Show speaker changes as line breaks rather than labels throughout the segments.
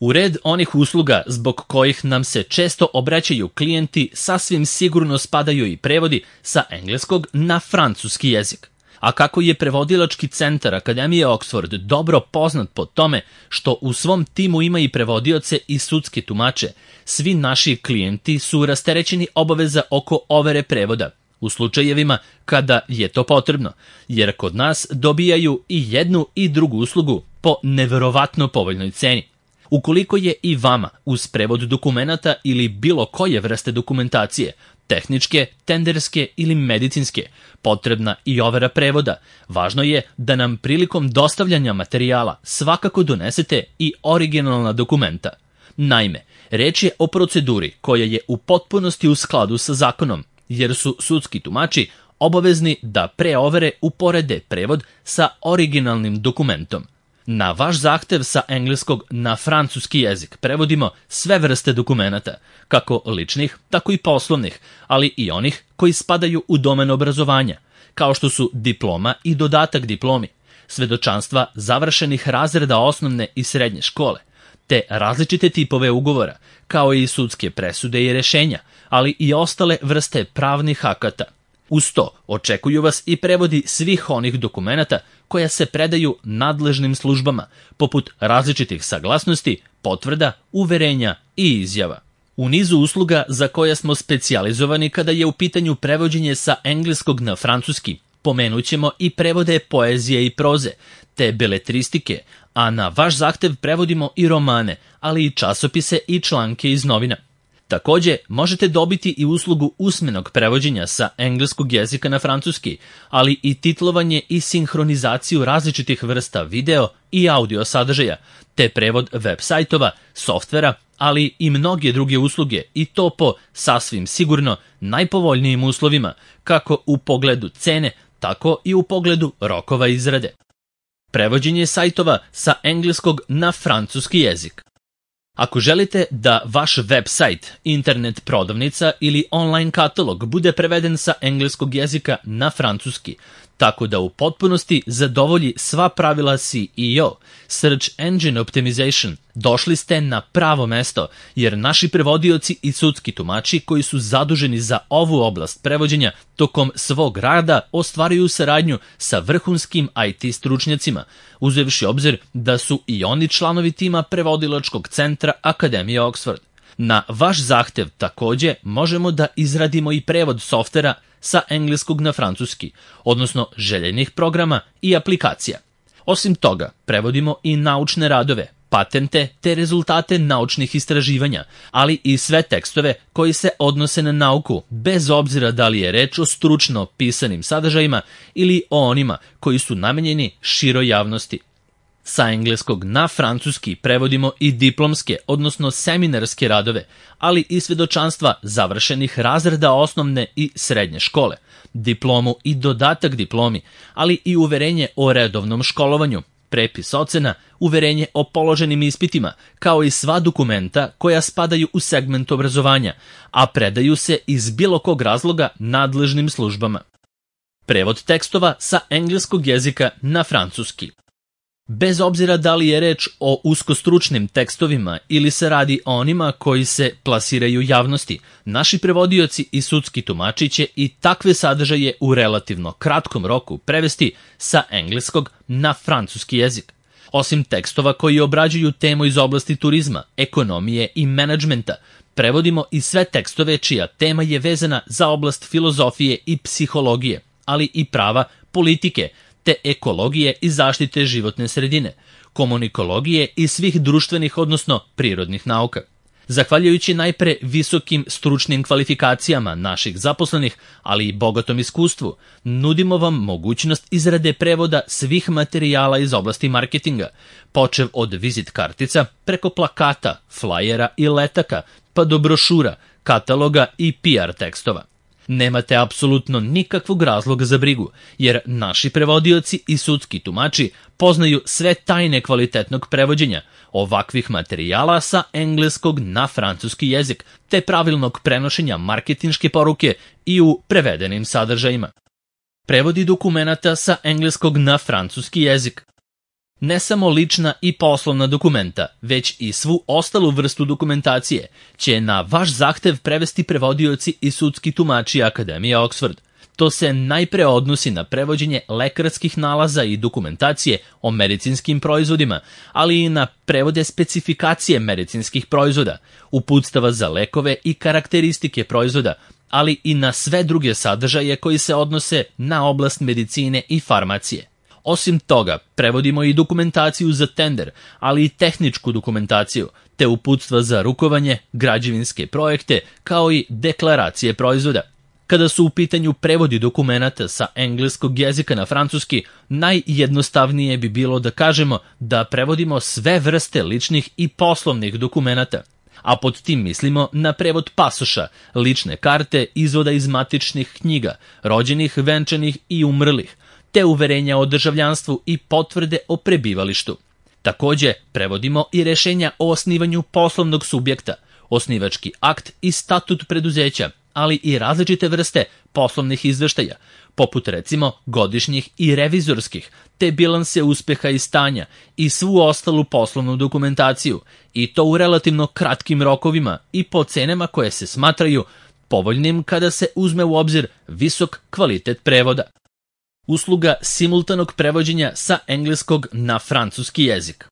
U red onih usluga zbog kojih nam se često obraćaju klijenti sasvim sigurno spadaju i prevodi sa engleskog na francuski jezik. A kako je prevodilački centar Akademije Oxford dobro poznat po tome što u svom timu ima i prevodioce i sudske tumače, svi naši klijenti su rasterećeni obaveza oko overe prevoda, u slučajevima kada je to potrebno, jer kod nas dobijaju i jednu i drugu uslugu po neverovatno povoljnoj ceni. Ukoliko je i vama uz prevod dokumenata ili bilo koje vrste dokumentacije, tehničke, tenderske ili medicinske, potrebna i overa prevoda, važno je da nam prilikom dostavljanja materijala svakako donesete i originalna dokumenta. Naime, reč je o proceduri koja je u potpunosti u skladu sa zakonom, jer su sudski tumači obavezni da pre overe uporede prevod sa originalnim dokumentom. Na vaš zahtev sa engleskog na francuski jezik prevodimo sve vrste dokumenata, kako ličnih, tako i poslovnih, ali i onih koji spadaju u domen obrazovanja, kao što su diploma i dodatak diplomi, svedočanstva završenih razreda osnovne i srednje škole, te različite tipove ugovora, kao i sudske presude i rešenja, ali i ostale vrste pravnih akata. Uz to očekuju vas i prevodi svih onih dokumenata koja se predaju nadležnim službama, poput različitih saglasnosti, potvrda, uverenja i izjava. U nizu usluga za koje smo specijalizovani kada je u pitanju prevođenje sa engleskog na francuski, pomenut ćemo i prevode poezije i proze, te beletristike, a na vaš zahtev prevodimo i romane, ali i časopise i članke iz novina. Takođe, možete dobiti i uslugu usmenog prevođenja sa engleskog jezika na francuski, ali i titlovanje i sinhronizaciju različitih vrsta video i audio sadržaja, te prevod web sajtova, softvera, ali i mnoge druge usluge, i to po sasvim sigurno najpovoljnijim uslovima, kako u pogledu cene, tako i u pogledu rokova izrade. Prevođenje sajtova sa engleskog na francuski jezik. Ako želite da vaš web sajt, internet prodavnica ili online katalog bude preveden sa engleskog jezika na francuski, tako da u potpunosti zadovolji sva pravila SEO, Search Engine Optimization, došli ste na pravo mesto, jer naši prevodioci i sudski tumači koji su zaduženi za ovu oblast prevođenja tokom svog rada ostvaruju saradnju sa vrhunskim IT stručnjacima, uzevši obzir da su i oni članovi tima prevodilačkog centra Akademije Oxford. Na vaš zahtev takođe možemo da izradimo i prevod softvera sa engleskog na francuski, odnosno željenih programa i aplikacija. Osim toga, prevodimo i naučne radove, patente te rezultate naučnih istraživanja, ali i sve tekstove koji se odnose na nauku, bez obzira da li je reč o stručno pisanim sadržajima ili o onima koji su namenjeni široj javnosti. Sa engleskog na francuski prevodimo i diplomske, odnosno seminarske radove, ali i svedočanstva završenih razreda osnovne i srednje škole, diplomu i dodatak diplomi, ali i uverenje o redovnom školovanju, prepis ocena, uverenje o položenim ispitima, kao i sva dokumenta koja spadaju u segment obrazovanja, a predaju se iz bilo kog razloga nadležnim službama. Prevod tekstova sa engleskog jezika na francuski. Bez obzira da li je reč o uskostručnim tekstovima ili se radi o onima koji se plasiraju javnosti, naši prevodioci i sudski tumači će i takve sadržaje u relativno kratkom roku prevesti sa engleskog na francuski jezik. Osim tekstova koji obrađuju temu iz oblasti turizma, ekonomije i menadžmenta, prevodimo i sve tekstove čija tema je vezana za oblast filozofije i psihologije, ali i prava, politike, te ekologije i zaštite životne sredine, komunikologije i svih društvenih, odnosno prirodnih nauka. Zahvaljujući najpre visokim stručnim kvalifikacijama naših zaposlenih, ali i bogatom iskustvu, nudimo vam mogućnost izrade prevoda svih materijala iz oblasti marketinga, počev od vizit kartica, preko plakata, flajera i letaka, pa do brošura, kataloga i PR tekstova. Nemate apsolutno nikakvog razloga za brigu, jer naši prevodioci i sudski tumači poznaju sve tajne kvalitetnog prevođenja ovakvih materijala sa engleskog na francuski jezik, te pravilnog prenošenja marketinške poruke i u prevedenim sadržajima. Prevodi dokumenata sa engleskog na francuski jezik. Ne samo lična i poslovna dokumenta, već i svu ostalu vrstu dokumentacije će na vaš zahtev prevesti prevodioci i sudski tumači Akademije Oxford. To se najpre odnosi na prevođenje lekarskih nalaza i dokumentacije o medicinskim proizvodima, ali i na prevode specifikacije medicinskih proizvoda, uputstava za lekove i karakteristike proizvoda, ali i na sve druge sadržaje koji se odnose na oblast medicine i farmacije. Osim toga, prevodimo i dokumentaciju za tender, ali i tehničku dokumentaciju, te uputstva za rukovanje, građevinske projekte, kao i deklaracije proizvoda. Kada su u pitanju prevodi dokumenata sa engleskog jezika na francuski, najjednostavnije bi bilo da kažemo da prevodimo sve vrste ličnih i poslovnih dokumenata. A pod tim mislimo na prevod pasoša, lične karte, izvoda iz matičnih knjiga, rođenih, venčanih i umrlih, te uverenja o državljanstvu i potvrde o prebivalištu. Takođe, prevodimo i rešenja o osnivanju poslovnog subjekta, osnivački akt i statut preduzeća, ali i različite vrste poslovnih izveštaja, poput recimo godišnjih i revizorskih, te bilanse uspeha i stanja i svu ostalu poslovnu dokumentaciju, i to u relativno kratkim rokovima i po cenama koje se smatraju povoljnim kada se uzme u obzir visok kvalitet prevoda. Usluga simultanog prevođenja sa engleskog na francuski jezik.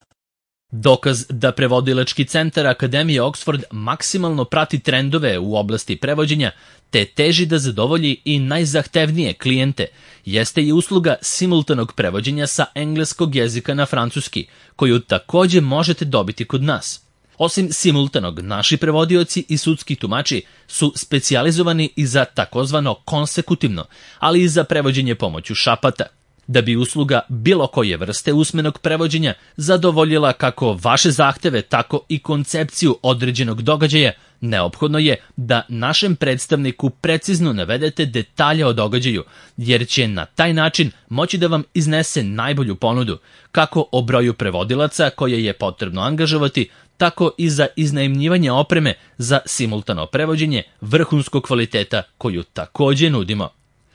Dokaz da prevodilački centar Akademije Oxford maksimalno prati trendove u oblasti prevođenja te teži da zadovolji i najzahtevnije klijente jeste i usluga simultanog prevođenja sa engleskog jezika na francuski, koju takođe možete dobiti kod nas. Osim simultanog, naši prevodioci i sudski tumači su specijalizovani i za takozvano konsekutivno, ali i za prevođenje pomoću šapata. Da bi usluga bilo koje vrste usmenog prevođenja zadovoljila kako vaše zahteve, tako i koncepciju određenog događaja, neophodno je da našem predstavniku precizno navedete detalje o događaju, jer će na taj način moći da vam iznese najbolju ponudu, kako o broju prevodilaca koje je potrebno angažovati, tako i za iznajmljivanje opreme za simultano prevođenje vrhunskog kvaliteta koju takođe nudimo.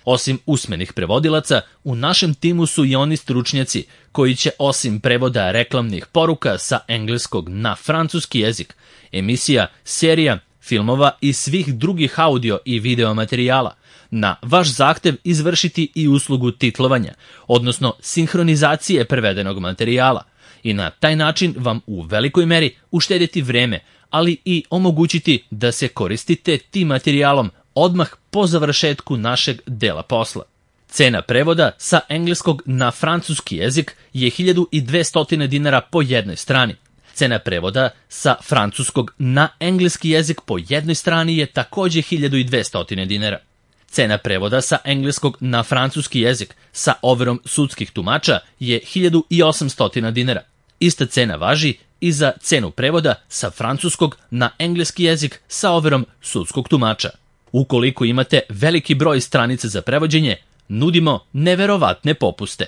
Osim usmenih prevodilaca, u našem timu su i oni stručnjaci koji će osim prevoda reklamnih poruka sa engleskog na francuski jezik, emisija, serija, filmova i svih drugih audio i video materijala, na vaš zahtev izvršiti i uslugu titlovanja, odnosno sinhronizacije prevedenog materijala, i na taj način vam u velikoj meri uštediti vreme, ali i omogućiti da se koristite tim materijalom odmah po završetku našeg dela posla. Cena prevoda sa engleskog na francuski jezik je 1200 dinara po jednoj strani. Cena prevoda sa francuskog na engleski jezik po jednoj strani je takođe 1200 dinara. Cena prevoda sa engleskog na francuski jezik sa overom sudskih tumača je 1800 dinara. Ista cena važi i za cenu prevoda sa francuskog na engleski jezik sa overom sudskog tumača. Ukoliko imate veliki broj stranica za prevođenje, nudimo neverovatne popuste.